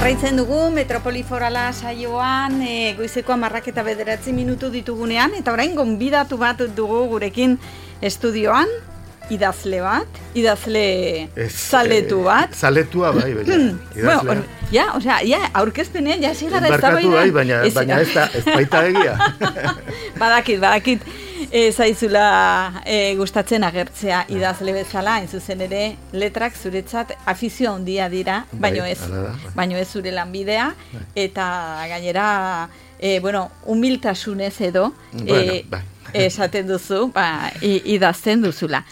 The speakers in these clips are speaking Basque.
Jarraitzen dugu Metropoli Forala saioan goizeko 10:09 ditugunean, eta orain gonbidatu bat dugu gurekin estudioan, idazle zaletu bat. Zaletua bai, bueno, aurkezpenean, sigara ez da bai, baina ez baita egia. Badakit, zaizula gustatzen agertzea idazle bezala, hain zuzen ere, letrak zuretzat afizio handia dira, baino ez zure lanbidea, eta gainera, humiltasunez edo, esaten duzu, idazten duzula.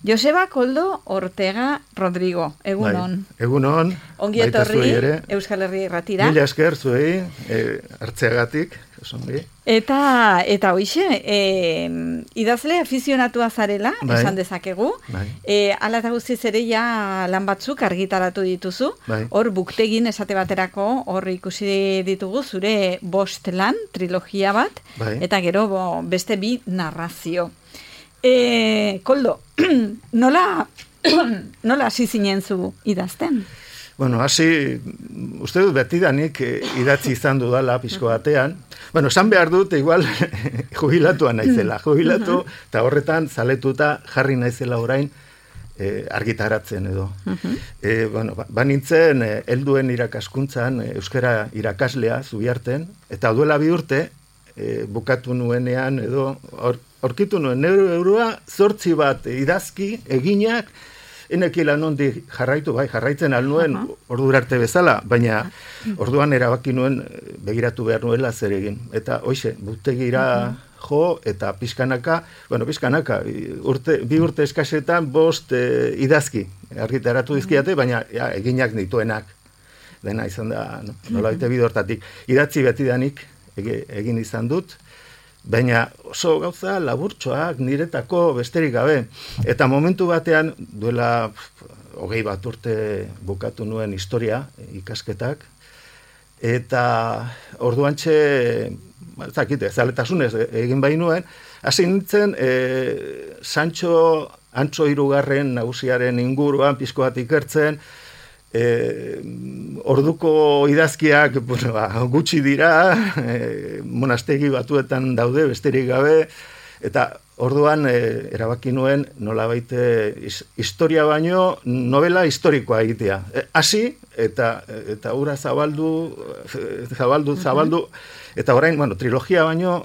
Joseba Koldo Ortega Rodrigo, egunon. Egunon, ongi etorri Euskal Herria Irratira. Mila esker zuei, hartzeagatik, osongi. Eta hoixe, idazle afizionatua zarela, esan dezakegu. Hala eta guztiz ere ja lan batzuk argitaratu dituzu. Hor buktegin esate baterako, hor ikusi ditugu zure 5 lan, trilogia bat, eta gero beste 2 narrazio. Koldo, nola hasi zinen zu idazten? Bueno, hasi, uste dut betidanik idatzi izan dudala pixko batean. Bueno, esan behar dut, igual, jubilatua naizela. Jubilatu, eta horretan zaletuta jarri naizela orain argitaratzen edo. Banintzen, helduen irakaskuntzan, euskara irakaslea Zubiarten, eta duela 2 urte, bukatu nuenean edo, aurkitu nuen, euroa 8 bat idazki eginak, enekila nondi jarraitzen alnuen ordura arte bezala, baina orduan erabaki nuen begiratu behar nuela zer egin. Eta hoize, butegira jo, eta pizkanaka, 2 urte eskasetan 5 idazki argitaratu dizkiate, baina eginak dituenak. Dena izan da, nola baite bidortatik. Idatzi betidanik egin izan dut, baina oso gauza laburtxoak niretako besterik gabe. Eta momentu batean, duela 21 urte bukatu nuen historia, ikasketak, eta orduantxe, zaletasunez egin bainuen, hasi nintzen Sancho Antso 3. nagusiaren inguruan pizko bat ikertzen, orduko idazkiak gutxi dira, monastegi batuetan daude besterik gabe, eta orduan erabaki nuen nolabait historia baino novela historikoa egitea. Hasi eta hura zabaldu, eta orain, trilogia baino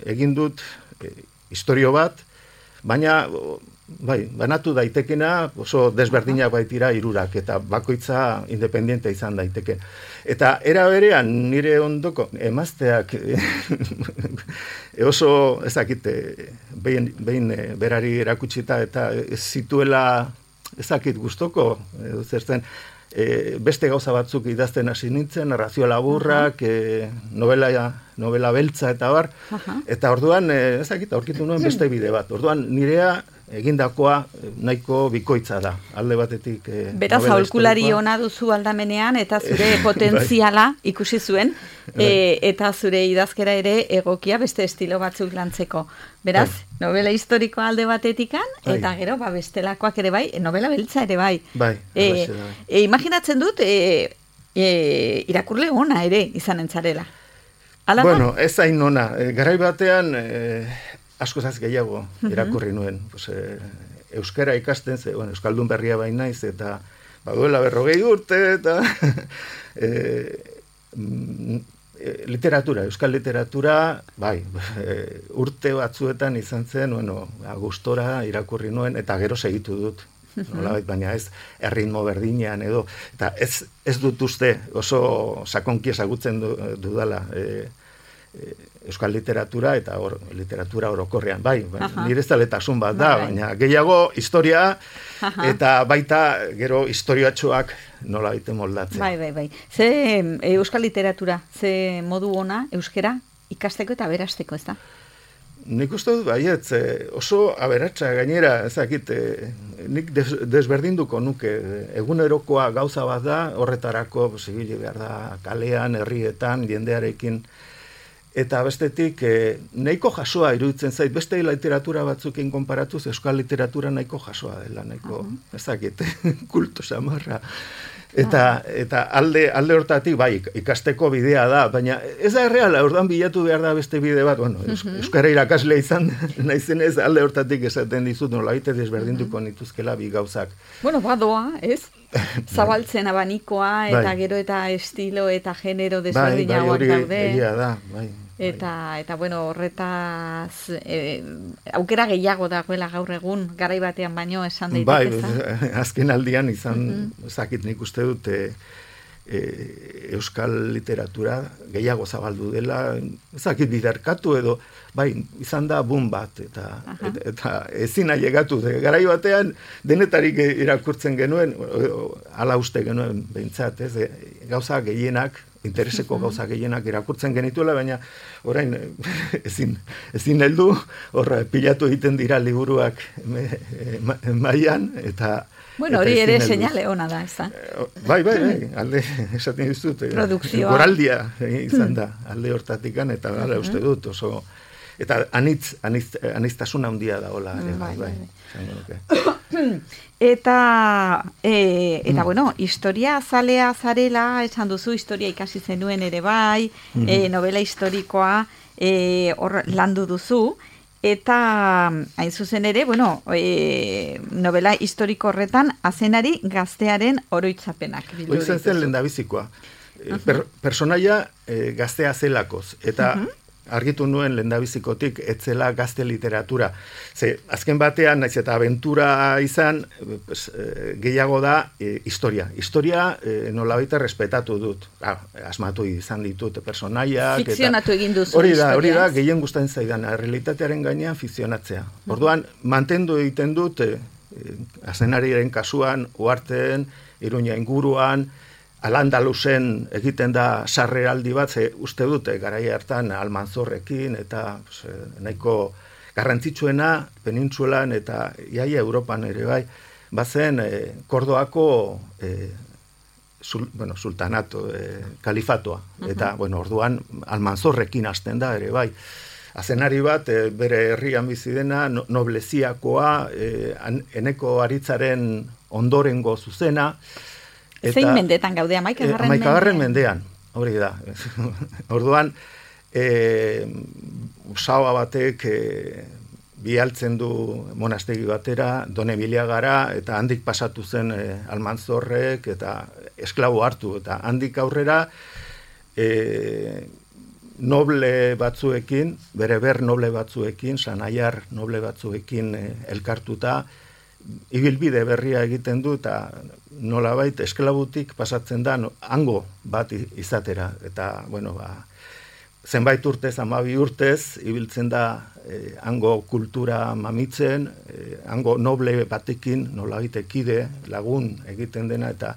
egin dut historio bat, baina banatu daitekena oso desberdinak baitira 3, eta bakoitza independiente izan daiteke. Eta era berean nire ondoko emazteak oso behin berari erakutsita eta ez zituela ezakit gustoko, zertzen beste gauza batzuk idazten hasi nintzen, narrazio laburrak, novela beltza eta bar, eta orduan aurkitu nuen beste bide bat. Orduan nirea egindakoa nahiko bikoitza da, alde batetik. Beraz, aholkulari ona duzu aldamenean, eta zure potentziala ikusi zuen, eta zure idazkera ere egokia beste estilo batzuk lantzeko. Beraz, novela historikoa alde batetikan, eta gero, bestelakoak ere bai, novela beltza ere bai. Imaginatzen dut, irakurle ona ere izanen zarela. Bueno, ez hain ona. Garai batean, askozaz gehiago irakurri nuen. Euskara ikasten, euskaldun berria bainaiz, eta duela 40 urte, eta literatura, euskal literatura, urte batzuetan izan zen, gustora irakurri nuen, eta gero segitu dut. Baina ez erritmo berdinean edo, eta ez dut uste oso sakonki ezagutzen dudala euskal literatura eta literatura orokorrean. Nire zaletasun bat da, baina gehiago historia eta baita gero historiatxoak nola baite moldatzen. Bai. Ze euskal literatura, ze modu ona euskera ikasteko eta berasteko, ez da? Nik uste dut baietz, oso aberatsa gainera, ezakit, nik desberdinduko nuke, egunerokoa gauza bat da, horretarako, zibili behar da, kalean, herrietan, jendearekin, eta bestetik, nahiko jasoa iruditzen zait, beste literatura batzukin konparatuz, euskal literatura nahiko jasoa dela, nahiko, ezakit, kultu samarra. Eta alde hortatik, bai, ikasteko bidea da, baina ez da erreala, orduan bilatu behar da beste bide bat, bueno, euskara irakaslea izan, naizenez alde hortatik esaten dizut, nola baite desberdintuko nituzkela bi gauzak. Bueno, badoa, ez? Zabaltzen abanikoa, eta gero eta estilo eta genero desberdinagoak daude. Bai, egia da, bai. Eta bueno, horretaz aukera gehiago dagoela gaur egun, garai batean baino esan daiteke. Bai, azken aldian izan, zakit nik uste dut, euskal literatura gehiago zabaldu dela, zakit biderkatu edo, bai, izan da boom bat, eta ezin ailegatu, garai batean denetarik irakurtzen genuen, ala uste genuen behintzat, ez, gauza gehienak, intereseko gauza gehienak irakurtzen genituela, baina orain ezin heldu, horra pilatu egiten dira liburuak mailan, eta bueno, hori ere seinale ona da, ez da? Bai, alde, esaten dizut, goraldia izan da, alde hortatikan, eta gara uste dut, oso, eta aniztasuna handia da, hola, bai. Eta bueno, historia zalea zarela, esan duzu, historia ikasi zenuen ere bai, novela historikoa hor landu duzu, eta hain zuzen ere, bueno, novela historiko horretan, azenari gaztearen oroitzapenak. Hori zen lehendabizikoa. Personaia gaztea zelakoz, eta argitu nuen lehendabizikotik etzela gazte literatura. Ze, azken batean, naiz eta abentura izan, gehiago da historia. Historia nolabaita respetatu dut. Asmatu izan ditut personaiak. Fikzionatu egin duzu hori da, gehien gustatzen zaidan, realitatearen gainean fikzionatzea. Orduan, mantendu egiten dut, azenariaren kasuan, Uharteen, Iruña inguruan, Al-Andalusen egiten da sarreraldi bat, uste dute garai hartan Almanzorrekin, eta nahiko garrantzitsuena penintsulan eta iaia Europan ere bai, bazen Kordoako sultanato, kalifatoa. Eta, orduan Almanzorrekin hasten da ere bai. Azenari bat, bere herrian bizi dena, nobleziakoa, eneko aritzaren ondorengo zuzena. Zein mendetan gaude, Amaikagarren mendean, hori da. Orduan, usaua batek bialtzen du monastegi batera, Donebiliagara, eta handik pasatu zen Almanzorrek, eta esklabo hartu, eta handik aurrera noble batzuekin, bereber noble batzuekin, Sanaiar noble batzuekin elkartuta, ibilbide berria egiten du, eta nolabait esklabutik pasatzen da hango bat izatera. Eta, zenbait urtez, 12 urtez, ibiltzen da hango kultura mamitzen, hango noble batekin, nolabait ekide, lagun egiten dena, eta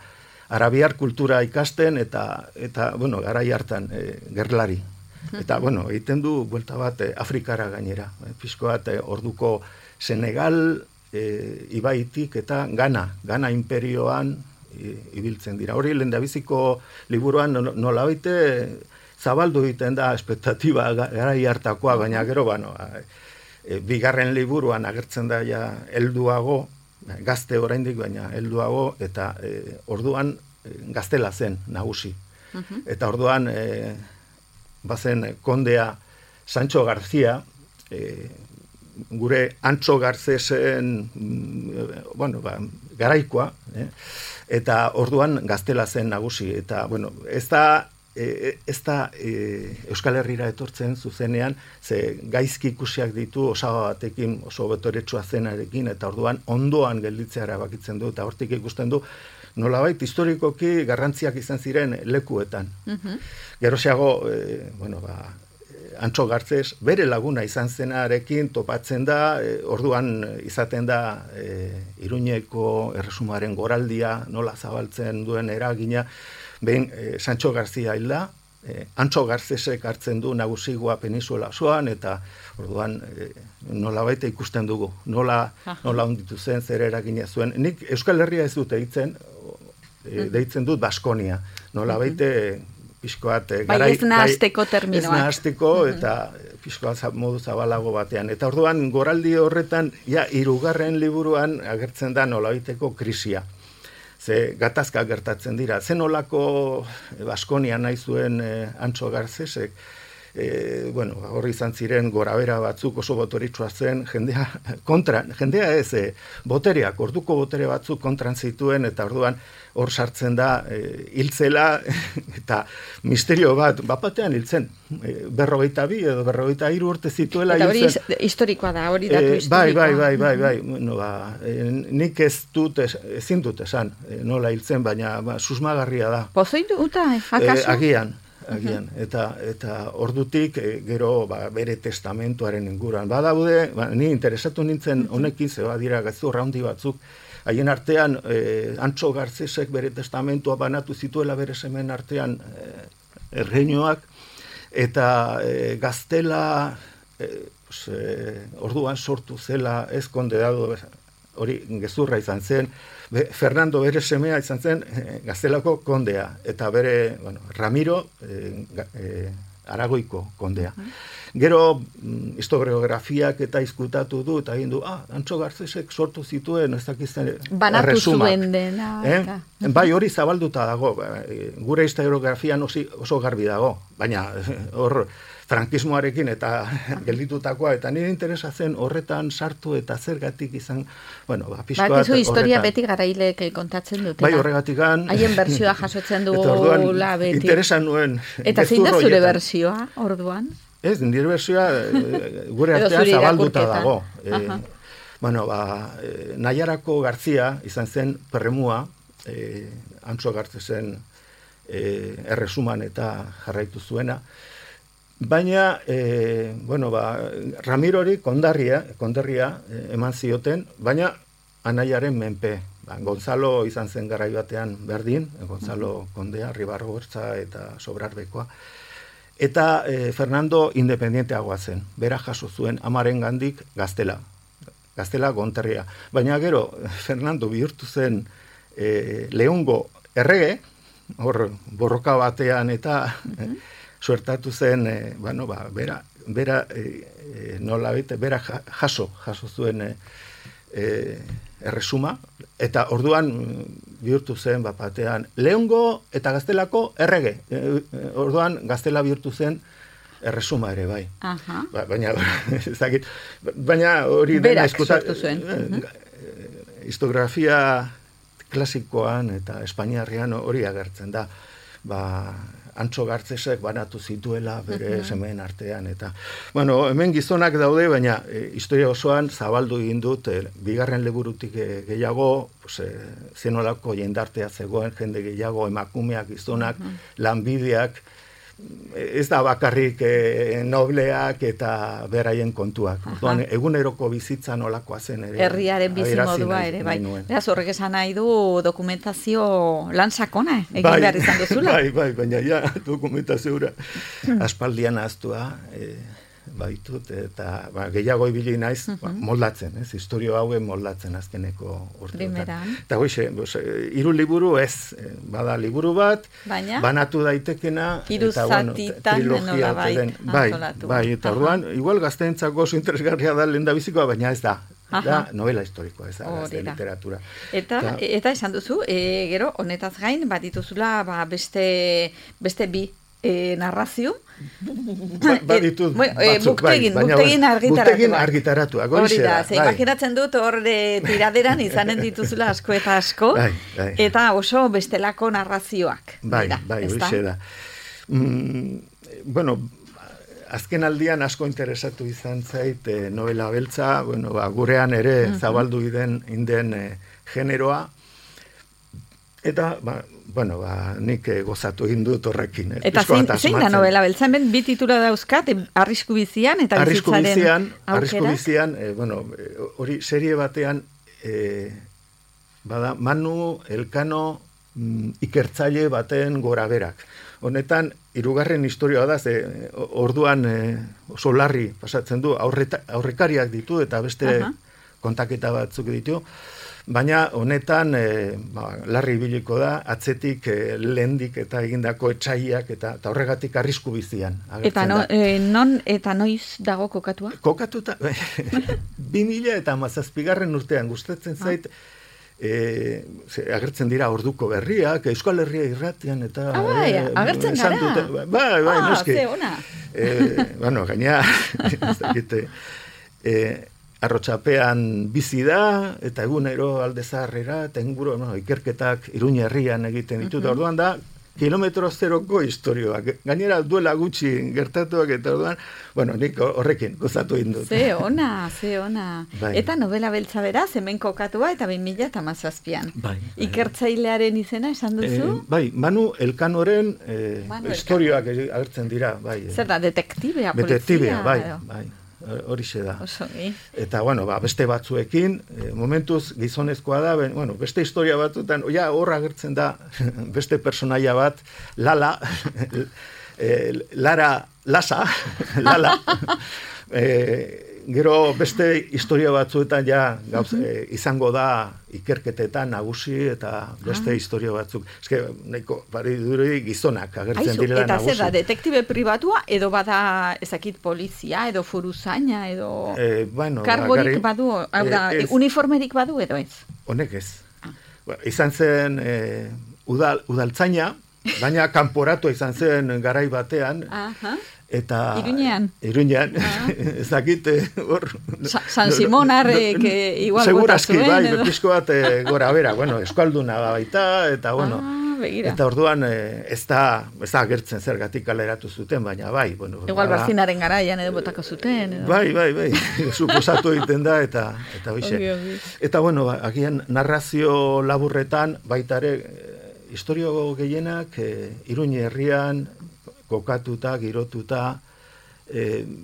arabiar kultura ikasten, eta garai hartan gerlari. Eta, egiten du buelta bat Afrikara gainera. Pixko bat orduko Senegal, ibaitik eta Gana imperioan ibiltzen dira. Hori lehendabiziko liburuan nolabaite zabaldu egiten da espektatiba garai hartakoa, baina gero, bigarren liburuan agertzen da ja helduago, gazte oraindik, baina helduago, eta orduan gaztela zen nagusi. Eta orduan bazen kondea Sancho García, gure Antxo Garcesen garaikoa, eta orduan gaztela zen nagusi, eta ez da Euskal Herrira etortzen zuzenean, ze gaizki ikusiak ditu osaba batekin, oso betoretsua zenarekin, eta orduan ondoan gelditzea erabakitzen du, eta hortik ikusten du, nolabait historikoki garrantziak izan ziren lekuetan. Geroxeago, Antxo Garcés bere laguna izan zenarekin topatzen da, orduan izaten da Iruñeko erresumaren goraldia, nola zabaltzen duen eragina, behin Sancho García hilda, Antxo Garcések hartzen du nagusigoa Peninsula osoan, eta orduan nolabait ikusten dugu, nola onditu zen, zer eragina zuen. Nik Euskal Herria ez dut deitzen dut Baskonia, nolabait pixkoat ez nahasteko terminoak. Ez nahasteko, eta pixkoat modu zabalago batean. Eta orduan, goraldi horretan, 3. liburuan agertzen da nolabaiteko krisia. ze gatazka gertatzen dira. Zen olako Baskonia nahi zuen Antso Garcesek, hor izan ziren gorabera batzuk oso boteritsua zen, jendea ez, botereak, orduko botere batzuk kontran zituen, eta orduan hor sartzen da hiltzela, eta misterio bat batean hiltzen, 42 edo 43 urte zituela. Eta hori historikoa da, hori datu historikoa. Bai, nik ezin dut esan, nola hiltzen, baina susmagarria da. Pozoituta, akaso? Agian, eta ordutik gero bere testamentuaren inguruan. Badaude, ni interesatu nintzen honekin, zeba dira gezurra handi batzuk, haien artean Antso Garcesek bere testamentua banatu zituela bere semen artean erreinoak, eta Gaztela orduan sortu zela ez kondeado, hori gezurra izan zen, Fernando bere semea izan zen Gaztelako kondea, eta bere, Ramiro Aragoiko kondea. Gero historiografiak eta izkutatu du, eta egin du, Antso Garcesek sortu zituen, ez dakizten banatu zuen dena. Bai, hori zabalduta dago, gure historiografian oso garbi dago, baina hor frankismoarekin eta gelditutakoa, eta nire interesa zen horretan sartu eta zergatik izan, pixkoat... Bakizu historia beti garaileek kontatzen dutela. Bai, horregatikan... Haien bertsioa jasotzen du beti. Interesa nuen... Eta zein da zure bersioa, orduan? Ez, nire bersioa gure artean zabalduta dago. Naiarako Garzia izan zen perremua, Antso Garcesen erresuman eta jarraitu zuena, baina, Ramirori konderria eman zioten, baina anaiaren menpe. Gonzalo izan zen garai batean berdin, Gonzalo kondea, Ribarrogortza eta Sobrarbekoa. Eta Fernando independienteagoa zen, bera jaso zuen amaren gandik Gaztela Gonterria. Baina gero, Fernando bihurtu zen Leongo errege, hor borroka batean eta suertatu zen, bera nola bete, bera jaso zuen erresuma, eta orduan bihurtu zen batean Leongo eta Gaztelako errege. Orduan Gaztela bihurtu zen erresuma ere, bai. Baina hori dena sortu zuen. Historiografia klasikoan eta espainiarrean hori agertzen da. Antso Garcesek banatu zituela bere semeen artean, eta hemen gizonak daude, baina historia osoan zabaldu egin dut, bigarren liburutik gehiago, zenolako jendartea zegoen, jende gehiago, emakumeak, gizonak, lanbideak, ez da bakarrik nobleak eta beraien kontuak. Eguneroko bizitza nolakoa zen ere. Herriaren bizimodua ere, bai. Beraz, horrek esan nahi du dokumentazio lan sakona egin behar izan duzula. Bai, baina ja dokumentazioa aspaldian ahaztua baitut, eta gehiago ibili naiz moldatzen, historio hauen moldatzen azkeneko urteetan. Eta hoxe, 3 liburu ez, bada liburu bat, banatu daitekena, 3 zatitan nola antolatu. Bai, eta orduan, igual gazteentzako oso interesgarria da lehendabizikoa, baina ez da. Da novela historikoa, ez da, gazte literatura. Eta esan duzu, gero, honetaz gain, dituzula beste bi narrazio. Baditut batzuk, buktegin argitaratuak. Hori da, imaginatzen dut hor tiraderan izanen dituzula asko eta asko, eta oso bestelako narrazioak. Bai, hori da. Azken aldian asko interesatu izan zait novela beltza, gurean ere zabaldu inden generoa, eta, nik gozatu egin dut horrekin. Eta zein da novela beltza? Hemen 2 titula dauzkat, Arrisku bizian eta bizitzaren aukerak? Arrisku bizian, hori serie batean, Manu Elkano ikertzaile baten goraberak. Honetan, 3. historioa da, orduan oso larri pasatzen du, aurrekariak ditu eta beste kontaketa batzuk ditu, baina honetan larri ibiliko da, atzetik lehendik eta egindako etsaiak eta horregatik arrisku bizian. Eta non eta noiz dago kokatua? Kokatuta, 2017 urtean gustatzen zait, agertzen dira orduko berriak, Euskal Herria irratian, eta... agertzen gara. Bai, noski. Ze ona. Bueno, gaina, ez dakite, arrotxapean bizi da, eta egunero alde zaharrera, eta inguru, ikerketak Iruña herrian egiten ditut, orduan da, kilometro zeroko historioak. Gainera duela gutxi gertatuak eta orduan, nik horrekin gozatu indut. Ze ona. Bai. Eta novela beltza beraz, hemen kokatua eta 2017an. Bai. Ikertzailearen izena esan duzu? Bai, Manu Elkanoren historioak agertzen dira. Bai. Zer da, detektibea, polizia? Detektibea, bai. Horixe da. Eta, beste batzuekin, momentuz gizonezkoa da, beste historia batzuetan, hor agertzen da beste personaia bat, Lara, Lasa, gero beste historia batzuetan izango da ikerketetan nagusi eta beste historia batzuk. Eske, nahiko, duri gizonak agertzen direla nagusi. Eta zer da, detektibe pribatua, edo bada ezakit polizia, edo foruzaina, edo kargorik badu, uniformerik badu, edo ez? Honek ez. Izan zen udaltzaina, baina kanporatua izan zen garai batean, eta... Iruñean. Ezakit, hor... San Simonarrek igual bota zuen, edo? Segurazki, pizko bat gora bera, eskalduna baita, eta, eta orduan ez da agertzen zergatik kaleratu zuten, baina bai, igual barzinaren garaian edo botako zuten, edo? Bai, suposatu egiten da, eta hoxe. Eta, agian narrazio laburretan, baita ere, historio gehienak, Iruña herrian, kokatuta, girotuta,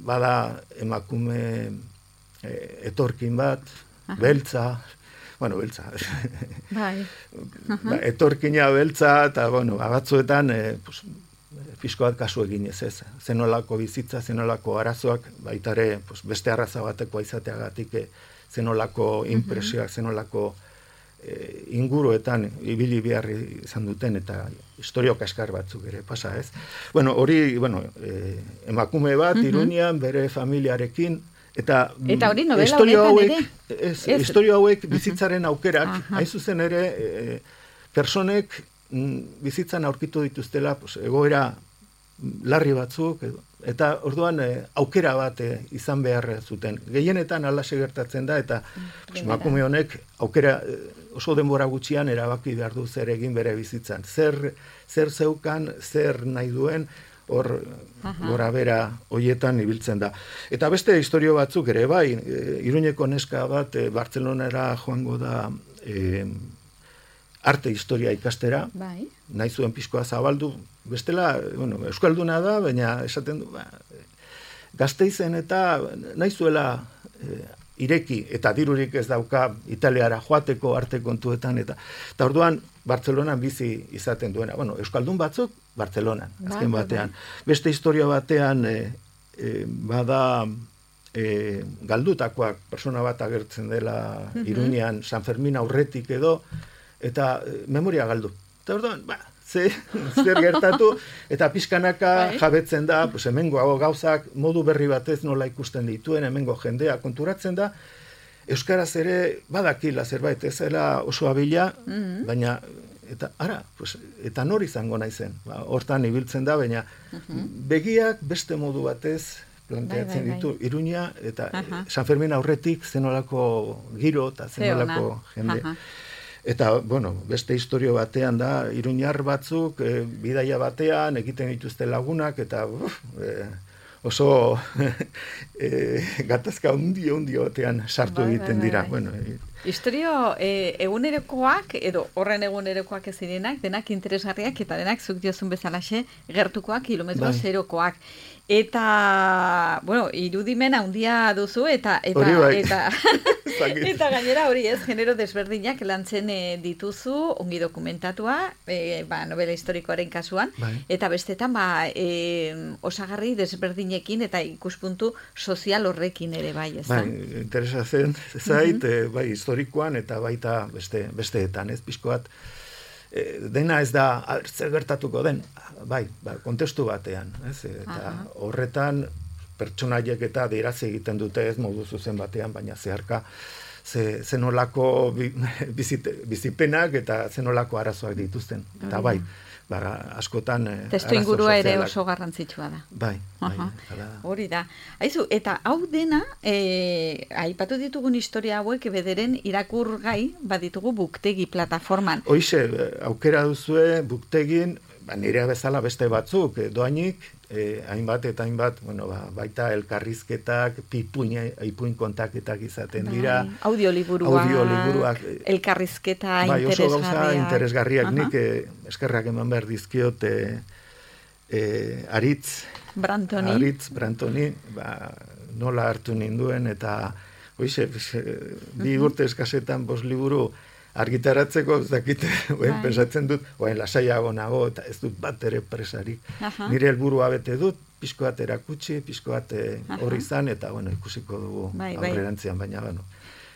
bada emakume etorkin bat, beltza, beltza. Bai. Etorkina beltza, eta, batzuetan, pixko bat kasu eginez ez. Zenolako bizitza, zenolako arazoak, baitare, beste arraza batekoa izateagatik, zenolako impresioak, zenolako inguruetan ibili behar izan duten eta historio kaskar batzuk ere pasa, ez? Hori, emakume bat, Iruñean, bere familiarekin, eta hori novela honetan ere? Historio hauek bizitzaren aukerak, hain zuzen ere, personek bizitzan aurkitu dituztela, egoera larri batzuk, eta orduan aukera bat izan behar zuten. Gehienetan alaxe gertatzen da, eta emakume honek aukera oso denbora gutxian erabaki behar du zer egin bere bizitzan. Zer zeukan, zer nahi duen, hor gora bera hoietan ibiltzen da. Eta beste historio batzuk ere, bai, Iruñeko neska bat Bartzelonara joango da arte historia ikastera, nahi zuen pixkoa zabaldu, bestela, euskalduna da, baina esaten du, Gasteizen eta nahi zuela ireki, eta dirurik ez dauka Italiara joateko arte kontuetan, eta orduan Bartzelonan bizi izaten duena. Euskaldun batzuk, Bartzelonan, azken batean. Beste historia batean, bada galdutakoak, persona bat agertzen dela Iruñean, San Fermin aurretik edo, eta memoria galdu. Eta orduan, zer gertatu, eta pixkanaka jabetzen da, hemengo gauzak modu berri batez nola ikusten dituen, hemengo jendea konturatzen da, euskaraz ere badakila zerbait, ez zela oso abila, baina, eta nor izango naizen, hortan ibiltzen da, baina begiak beste modu batez planteatzen ditu Iruña, eta San Fermin aurretik zenolako giro eta zenolako jende. Eta, beste historio batean da, iruñar batzuk, bidaia batean, egiten dituzte lagunak, eta oso gatazka hundio batean sartu egiten dira. Historio egunerokoak, edo horren egunerokoak ez direnak, denak interesgarriak, eta denak zuk diozun bezalaxe, gertukoak, kilometro zerokoak. Eta, irudimen handia duzu, eta gainera hori ez, genero desberdinak lantzen dituzu, ongi dokumentatua, novela historikoaren kasuan, eta bestetan, osagarri desberdinekin eta ikuspuntu sozial horrekin ere bai, ez da? Interesatzen zait, historikoan eta baita besteetan, ez pixko bat, dena ez da zer gertatuko den, kontestu batean, ez? Eta horretan pertsonaiek eta adieraz egiten dute ez modu zuzen batean, baina zeharka zenolako bizipenak eta zenolako arazoak dituzten. Eta bai, askotan testu ingurua ere oso garrantzitsua da. Bai. Hori da. Aizu, eta hau dena, aipatu ditugun historia hauek bederen irakurgai baditugu Buktegi plataforman. Hoize, aukera duzue Buktegin, nire bezala beste batzuk, doainik, hainbat eta hainbat, baita elkarrizketak, ipuin kontaketak izaten dira. Audioliburuak, elkarrizketa interesgarriak. Oso gauza interesgarriak, nik eskerrak eman behar dizkiot Aritz Brantoni, nola hartu ninduen, eta bi urte eskasetan 5 liburu argitaratzeko, ez dakite, pensatzen dut, lasaiago nago, eta ez dut bat ere presarik. Nire helburua bete dut, pixko bat erakutsi, pixko bat horri izan, eta ikusiko dugu aurrerantzian, baina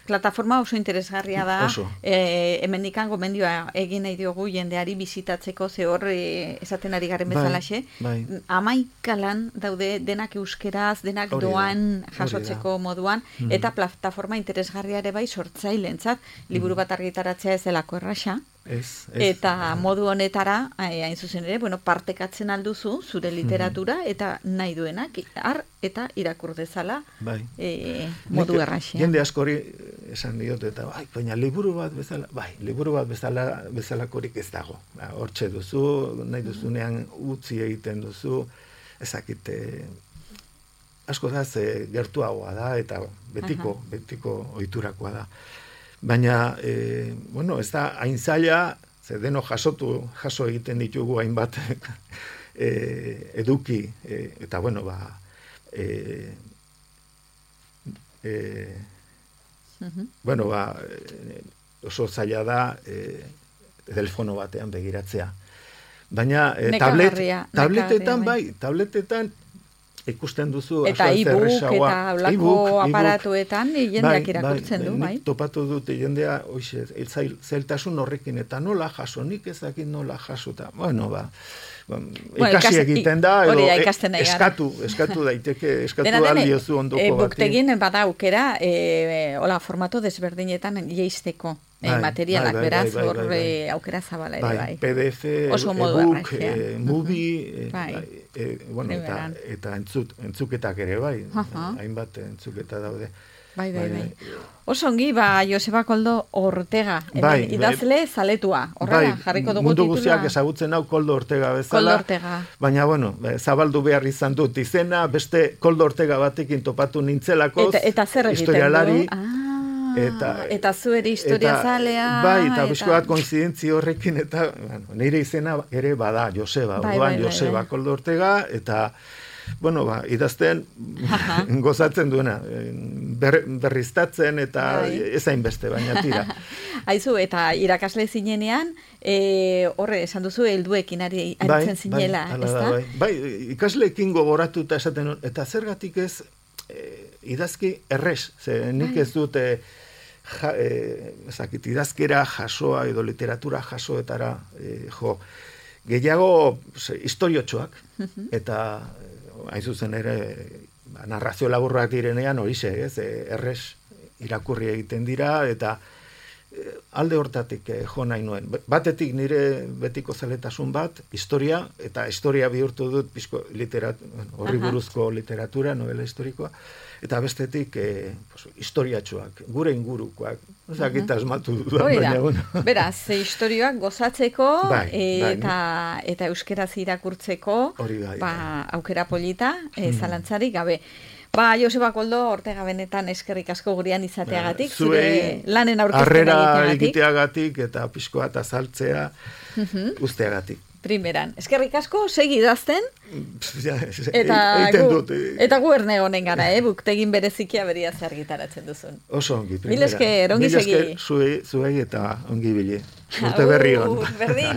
plataforma oso interesgarria da. Hemendikan gomendioa egin nahi diogu jendeari bizitatzeko, ze hor esaten ari garen bezalaxe. 11 lan daude denak euskeraz, denak doan jasotzeko moduan, eta plataforma interesgarria ere bai sortzailentzat, liburu bat argitaratzea ez delako erraxa. Eta modu honetara, hain zuzen ere, partekatzen alduzu zure literatura eta nahi duenak, eta irakur dezala modu erraxean. Jende askori esan diot, eta baina liburu bat bezalakorik ez dago. Hortxe duzu, nahi duzunean utzi egiten duzu, ezakite asko da gertuagoa da, eta betiko ohiturakoa da. Baina, ez da, hain zaila, ze deno jaso egiten ditugu hainbat eduki, eta oso zaila da telefono batean begiratzea. Baina, tabletetan, ikusten duzu eta e-book eta olako aparatuetan jendeak irakurtzen du, bai? Nik topatu dute jendea, zailtasun horrekin, eta nola jaso, nik ezakit nola jaso, eta, ikasi egiten da, edo eskatu daiteke, eskatu aldiozu ondoko bati. Buktegin bada aukera, hola, formato desberdinetan jeisteko materialak, beraz, hor aukera zabala ere, bai. PDF, e-book, movie, eta entzuketak ere, bai. Hainbat entzuketa daude. Bai. Oso ongi, Joseba Koldo Ortega, idazle zaletua. Horrela, jarriko dugu mundu guztiak ezagutzen hau Koldo Ortega bezala. Baina, zabaldu behar izan dut izena, beste Koldo Ortega batekin topatu nintzelako. Eta zer egiten du? Eta zueri historia zalea. Bai, eta bizko bat koinzidentzi horrekin, eta nire izena ere bada Joseba, Joseba Koldo Ortega, eta idazten gozatzen duena, berriztatzen eta ezain beste, baina tira. Aizu, eta irakasle zinenean, horre, esan duzu, helduekin aritzen zinela, ez da? Bai, ikasleekin gogoratu eta esaten, eta zergatik ez idazki errez, ze nik ez dute idazkera jasoa edo literatura jasoetara gehiago historiotxoak, eta hain zuzen ere narrazio laburrak direnean horixe, errez irakurri egiten dira, eta alde hortatik jo nahi nuen. Batetik nire betiko zeletasun bat, historia, eta historia bihurtu dut horri buruzko literatura, novela historikoa, eta bestetik historiatxoak, gure ingurukoak, ezakita asmatu dudan. Beraz, historioak gozatzeko eta euskeraz irakurtzeko aukera polita, zalantzarik gabe. Joseba Koldo Ortega benetan eskerrik asko gurean izateagatik, zure lanen aurkezten egiteagatik eta pixkoa eta azaltzea usteagatik. Primeran. Eskerrik asko, segi idazten. Eta gu erne honen gara, Buktegin berezikia beria argitaratzen duzun. Oso ongi, primera. Mil esker, ongi segi. Mil esker, zuei eta ongi bile. Urte berri hon. Berdin.